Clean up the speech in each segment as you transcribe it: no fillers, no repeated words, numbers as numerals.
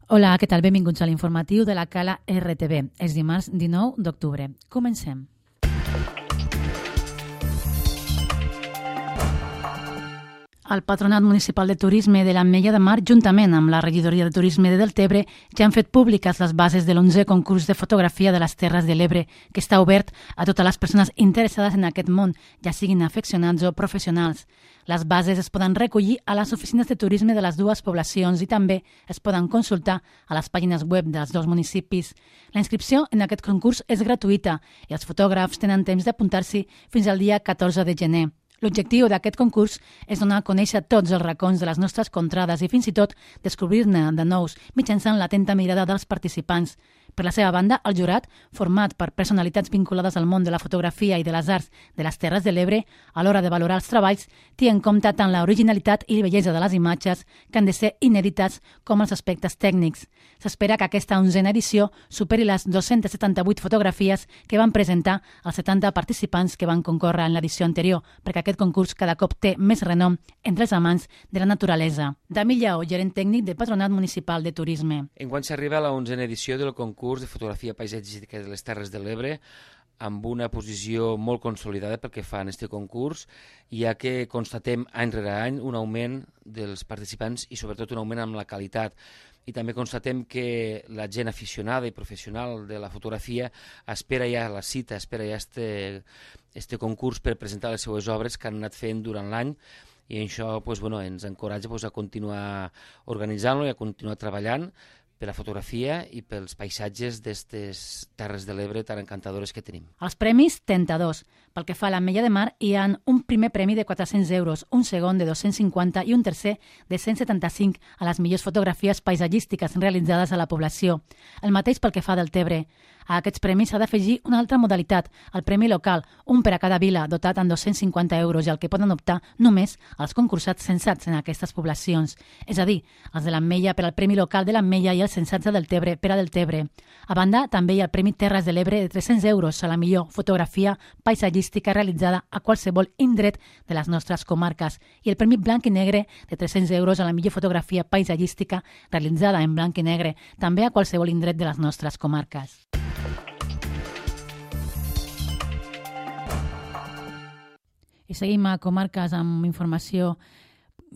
Hola, què tal? Benvinguts a l'informatiu de la Cala RTV. És dimarts 19 d'octubre. Comencem. El Patronat Municipal de Turisme de l'Ametlla de Mar, juntament amb la Regidoria de Turisme de Deltebre, ja han fet públiques les bases de l'11è concurs de fotografia de les Terres de l'Ebre, que està obert a totes les persones interessades en aquest món, ja siguin afeccionats o professionals. Les bases es poden recollir a les oficines de turisme de les dues poblacions i també es poden consultar a les pàgines web dels dos municipis. La inscripció en aquest concurs és gratuïta i els fotògrafs tenen temps d'apuntar-s'hi fins al dia 14 de gener. L'objectiu d'aquest concurs és donar a conèixer tots els racons de les nostres contrades i fins i tot descobrir-ne de nous mitjançant l'atenta mirada dels participants. Per la seva banda, el jurat, format per personalitats vinculades al món de la fotografia i de les arts de les Terres de l'Ebre, a l'hora de valorar els treballs, té en compte tant l'originalitat i la bellesa de les imatges, que han de ser inèdites, com els aspectes tècnics. S'espera que aquesta 11a edició superi les 278 fotografies que van presentar els 70 participants que van concórrer en l'edició anterior, perquè aquest concurs cada cop té més renom entre els amants de la naturalesa. Dami Lleó, gerent tècnic del Patronat Municipal de Turisme. Enguany s'arriba a la 11a edició del concurs de fotografia paisatgística de les Terres de l'Ebre, amb una posició molt consolidada pel que fa en aquest concurs, ja que constatem any rere any un augment dels participants i sobretot un augment amb la qualitat. I també constatem que la gent aficionada i professional de la fotografia espera ja la cita, espera ja este concurs per presentar les seues obres que han anat fent durant l'any, i això ens encoratja a continuar organitzant-lo i a continuar treballant per la fotografia i pels paisatges d'aquestes Terres de l'Ebre tan encantadores que tenim. Els premis, 32. Pel que fa a l'Ametlla de Mar, hi ha un primer premi de 400 euros, un segon de 250 i un tercer de 175 a les millors fotografies paisatgístiques realitzades a la població. El mateix pel que fa del Tebre. A aquests premis s'ha d'afegir una altra modalitat, el premi local, un per a cada vila, dotat amb 250 euros i al que poden optar només els concursats censats en aquestes poblacions. És a dir, els de l'Ametlla per al premi local de l'Ametlla i els censats de Deltebre per a Deltebre. A banda, també hi ha el Premi Terres de l'Ebre de 300 euros a la millor fotografia paisatgística realitzada a qualsevol indret de les nostres comarques i el Premi Blanc i Negre de 300 euros a la millor fotografia paisatgística realitzada en blanc i negre, també a qualsevol indret de les nostres comarques. I seguim a comarques amb informació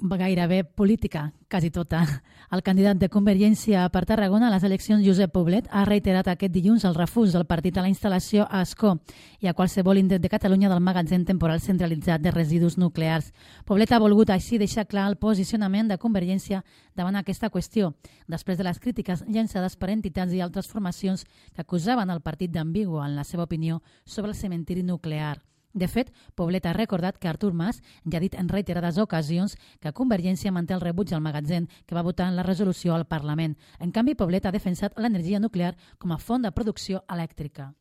gairebé política, quasi tota. El candidat de Convergència per Tarragona a les eleccions, Josep Poblet, ha reiterat aquest dilluns el refús del partit a la instal·lació a Ascó i a qualsevol indret de Catalunya del magatzem temporal centralitzat de residus nuclears. Poblet ha volgut així deixar clar el posicionament de Convergència davant aquesta qüestió, després de les crítiques llançades per entitats i altres formacions que acusaven el partit d'ambigu en la seva opinió sobre el cementiri nuclear. De fet, Poblet ha recordat que Artur Mas ja ha dit en reiterades ocasions que Convergència manté el rebuig al magatzem que va votar en la resolució al Parlament. En canvi, Poblet ha defensat l'energia nuclear com a font de producció elèctrica.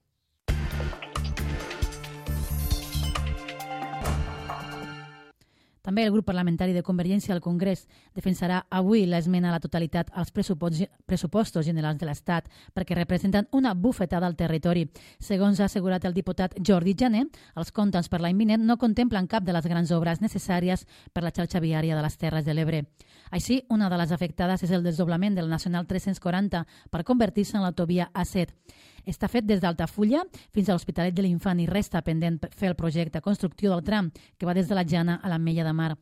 També el grup parlamentari de Convergència al Congrés defensarà avui l'esmena a la totalitat als pressupostos generals de l'Estat perquè representen una bufetada al territori. Segons ha assegurat el diputat Jordi Jané, els comptes per l'any vinent no contemplen cap de les grans obres necessàries per la xarxa viària de les Terres de l'Ebre. Així, una de les afectades és el desdoblament del Nacional 340 per convertir-se en l'autovia A7. Està fet des d'Altafulla fins a l'Hospitalet de l'Infant i resta pendent fer el projecte constructiu del tram que va des de la Jana a l'Ametlla de Mar.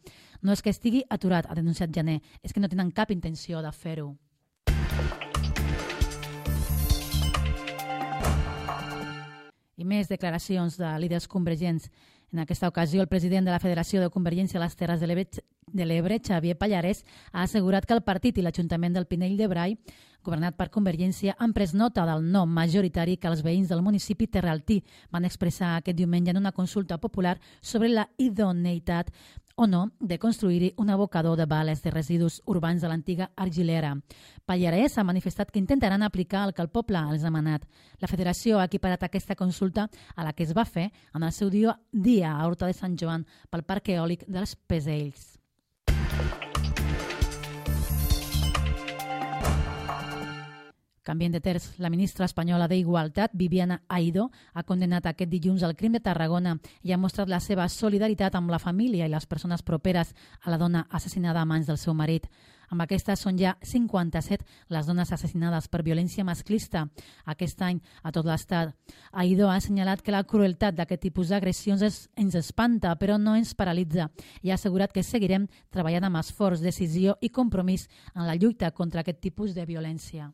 No és que estigui aturat, ha denunciat Jané, és que no tenen cap intenció de fer-ho. I més declaracions de líders convergents. En aquesta ocasió, el president de la Federació de Convergència a les Terres de l'Ebre, Xavier Pallarès, ha assegurat que el partit i l'Ajuntament del Pinell de Brai, governat per Convergència, han pres nota del no majoritari que els veïns del municipi terraltí van expressar aquest diumenge en una consulta popular sobre la idoneïtat o no de construir-hi un abocador de bales de residus urbans de l'antiga Argilera. Pallarès ha manifestat que intentaran aplicar el que el poble els ha manat. La federació ha equiparat aquesta consulta a la que es va fer en el seu dia a Horta de Sant Joan pel Parc Eòlic dels Pesells. Canviant de terç, la ministra espanyola d'Igualtat, Viviana Aidó, ha condenat aquest dilluns el crim de Tarragona i ha mostrat la seva solidaritat amb la família i les persones properes a la dona assassinada a mans del seu marit. Amb aquestes són ja 57 les dones assassinades per violència masclista aquest any a tot l'estat. Aidó ha assenyalat que la crueltat d'aquest tipus d'agressions ens espanta, però no ens paralitza, i ha assegurat que seguirem treballant amb esforç, decisió i compromís en la lluita contra aquest tipus de violència.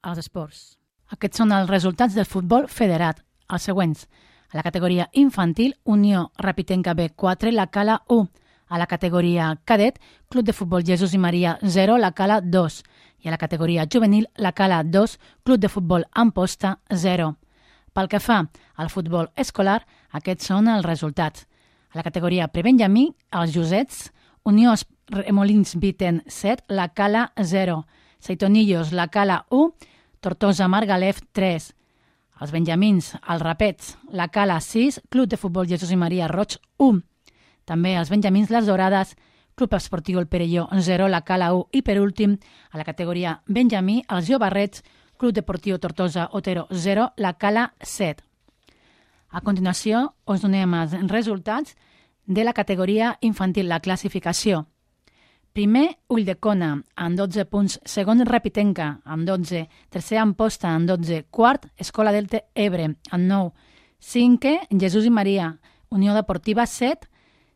Els esports. Aquests són els resultats del futbol federat, els següents. A la categoria infantil, Unió Rapitenca B 4, la Cala 1. A la categoria cadet, Club de Futbol Jesús i Maria 0, la Cala 2. I a la categoria juvenil, la Cala 2, Club de Futbol Amposta 0. Pel que fa al futbol escolar, aquests són els resultats. A la categoria prebenjamí, els Josets, Unió Remolins Viten 7, la Cala 0. Seitonillos, la Cala 1, Tortosa Margalef 3. Els benjamins, els Rapets, la Cala 6, Club de Futbol Jesús i Maria Roig 1. També els benjamins, les Dorades, Club Esportiu El Perelló 0, la Cala 1. I per últim, a la categoria benjamí, els Jovarrets, Club Deportiu Tortosa Otero 0, la Cala 7. A continuació, us donem els resultats de la categoria infantil, la classificació. Primer, Ulldecona, amb 12 punts. Segon, Rapitenca, amb 12. Tercer, Amposta, amb 12. Quart, Escola Delta Ebre, amb 9. Cinquè, Jesús i Maria, Unió Deportiva 7.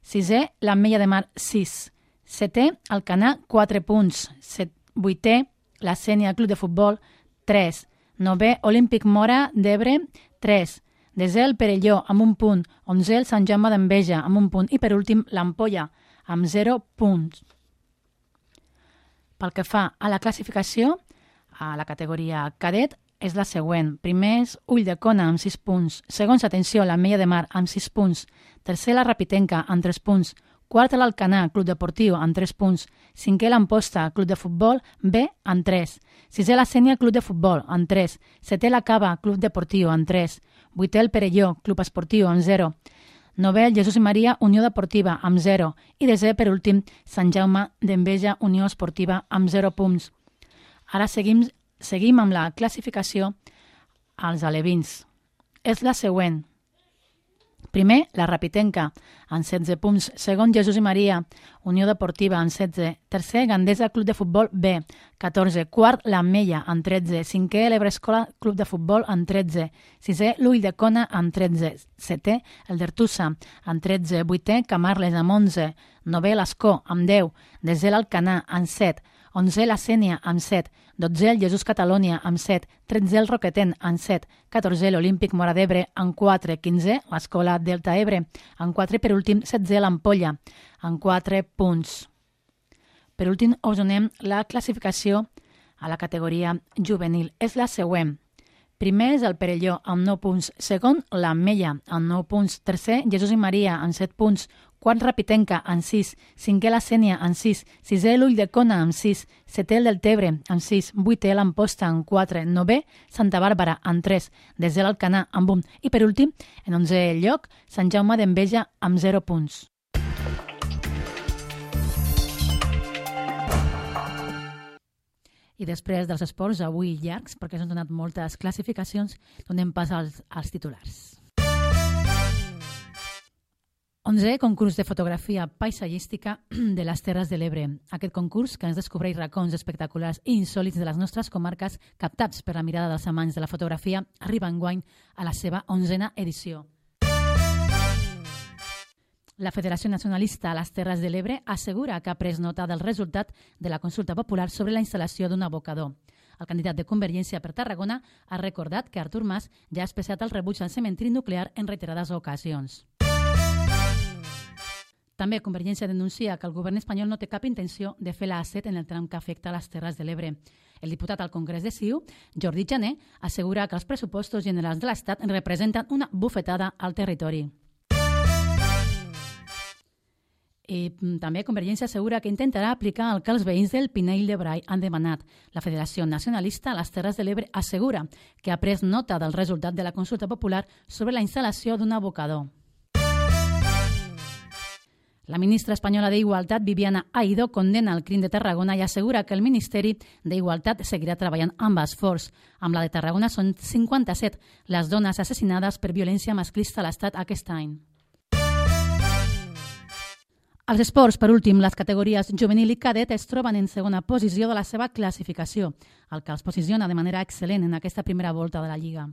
Sisè, l'Ametlla de Mar 6. Setè, Alcanar, 4 punts. Vuitè, la Sénia Club de Futbol 3. Novè, Olímpic Mora d'Ebre 3. Desè, el Perelló, amb 1 punt. 11è, el Sant Jaume d'Enveja, amb 1 punt. I per últim, l'Ampolla, amb 0 punts. Pel que fa a la classificació, a la categoria cadet és la següent. Primer és Ulldecona amb 6 punts. Segons, atenció, l'Ametlla de Mar amb 6 punts. Tercer, la Rapitenca amb 3 punts. Quart, l'Alcanar, Club Deportiu, amb 3 punts. Cinquè, l'Amposta, Club de Futbol B, amb 3. Sisè, la Sénia, Club de Futbol, amb 3. Setè, la Cava, Club Deportiu, amb 3. Vuitè, el Perelló, Club Esportiu, amb 0. Novè, el Jesús i Maria, Unió Deportiva, amb 0. I desè, per últim, Sant Jaume d'Enveja, Unió Esportiva, amb 0 punts. Ara seguim amb la classificació als alevins. És la següent. Primer, la Rapitenca, amb 16 punts. Segon, Jesús i Maria, Unió Deportiva, amb 16. Tercer, Gandesa Club de Futbol B, 14. Quart, l'Ametlla, amb 13. Cinquè, l'Ebre Escola Club de Futbol, amb 13. Sisè, l'Ulldecona, amb 13. Setè, el d'Ertussa, amb 13. Vuitè, Camarles, amb 11. Novè, l'Escó, amb 10. Desè, l'Alcanar, amb 7. 11è, la Sénia, amb 7. 12è, el Jesús Catalunya, amb 7. 13è, el Roqueten, amb 7. 14è, l'Olímpic Mora d'Ebre, amb 4. 15è, l'Escola Delta Ebre, amb 4. Per últim, 16è, l'Ampolla, amb 4 punts. Per últim, us donem la classificació a la categoria juvenil. És la següent. Primer és el Perelló, amb 9 punts. Segon, l'Ametlla, amb 9 punts. Tercer, Jesús i Maria, amb 7 punts. Quart, Rapitenca, amb 6. Cinquè, la Sénia, amb 6. Sisè, l'Ulldecona, amb 6. Setè, el del Tebre, amb 6. Vuitè, l'Amposta, amb 4. Novè, Santa Bàrbara, amb 3. Desè, l'Alcanar, amb 1. I per últim, en 11è lloc, Sant Jaume d'Enveja, amb 0 punts. I després dels esports, avui llargs, perquè s'han donat moltes classificacions, donem pas als titulars. 11è concurs de fotografia paisatgística de les Terres de l'Ebre. Aquest concurs, que ens descobreix racons espectaculars i insòlits de les nostres comarques, captats per la mirada dels amants de la fotografia, arriba enguany a la seva 11a edició. La Federació Nacionalista a les Terres de l'Ebre assegura que ha pres nota del resultat de la consulta popular sobre la instal·lació d'un abocador. El candidat de Convergència per Tarragona ha recordat que Artur Mas ja ha expressat el rebuig al cementiri nuclear en reiterades ocasions. També Convergència denuncia que el govern espanyol no té cap intenció de fer la A7 en el tram que afecta les Terres de l'Ebre. El diputat al Congrés de CiU, Jordi Jané, assegura que els pressupostos generals de l'Estat representen una bufetada al territori. I també Convergència assegura que intentarà aplicar el que els veïns del Pinell de Brai han demanat. La Federació Nacionalista a les Terres de l'Ebre assegura que ha pres nota del resultat de la consulta popular sobre la instal·lació d'un abocador. La ministra espanyola d'Igualtat, Viviana Aidó, condena el crim de Tarragona i assegura que el Ministeri d'Igualtat seguirà treballant amb esforç. Amb la de Tarragona són 57 les dones assassinades per violència masclista a l'Estat aquest any. Als esports, per últim, les categories juvenil i cadet es troben en segona posició de la seva classificació, el que els posiciona de manera excel·lent en aquesta primera volta de la Lliga.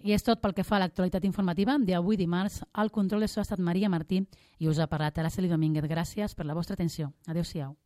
I és tot pel que fa a l'actualitat informativa d'avui dimarts. Al control de so ha estat Maria Martí i us ha parlat Araceli Domínguez. Gràcies per la vostra atenció. Adéu-siau.